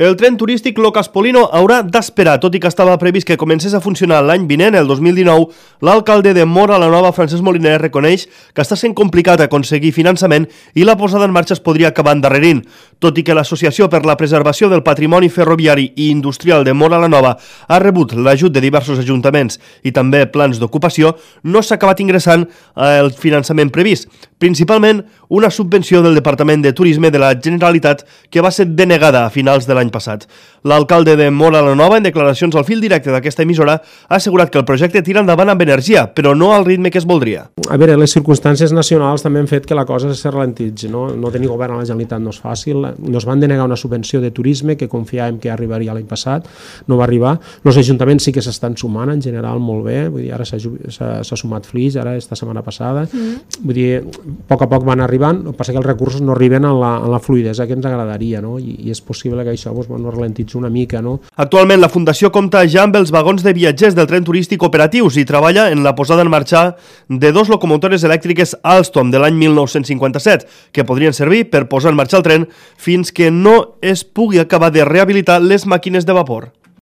El tren turístic Locas-Polino haurà d'esperar, tot i que estava previst que comencés a funcionar l'any vinent, el 2019, l'alcalde de Móra la Nova, Francesc Moliner, reconeix que està sent complicat aconseguir finançament i la posada en marxa es podria acabar endarrerint. Tot i que l'Associació per la Preservació del Patrimoni Ferroviari i Industrial de Móra la Nova ha rebut l'ajut de diversos ajuntaments i també plans d'ocupació, no s'ha acabat ingressant el finançament previst, principalment una subvenció del Departament de Turisme de la Generalitat que va ser denegada a finals de l'any passat. L'alcalde de Móra la Nova, en declaracions al fil directe d'aquesta emissora, ha assegurat que el projecte tira endavant amb energia, però no al ritme que es voldria. A veure, les circumstàncies nacionals també han fet que la cosa se ralentitzi, no? No tenir govern a la Generalitat no és fàcil. Nos van denegar una subvenció de turisme que confiàvem que arribaria l'any passat, no va arribar. Els ajuntaments sí que s'estan sumant en general molt bé, vull dir, ara s'ha sumat Flix, ara esta setmana passada. Vull dir, a poc van arribant, el que passa que els recursos no arriben en la fluidesa que ens agradaria, no? I és possible que això no ralentitzi una mica, no? Actualment la Fundació compta ja amb els vagons de viatgers del tren turístic operatius i treballa en la posada en marxa de 2 locomotores elèctriques Alstom de l'any 1957 que podrien servir per posar en marxa el tren fins que no es pugui acabar de rehabilitar les màquines de vapor.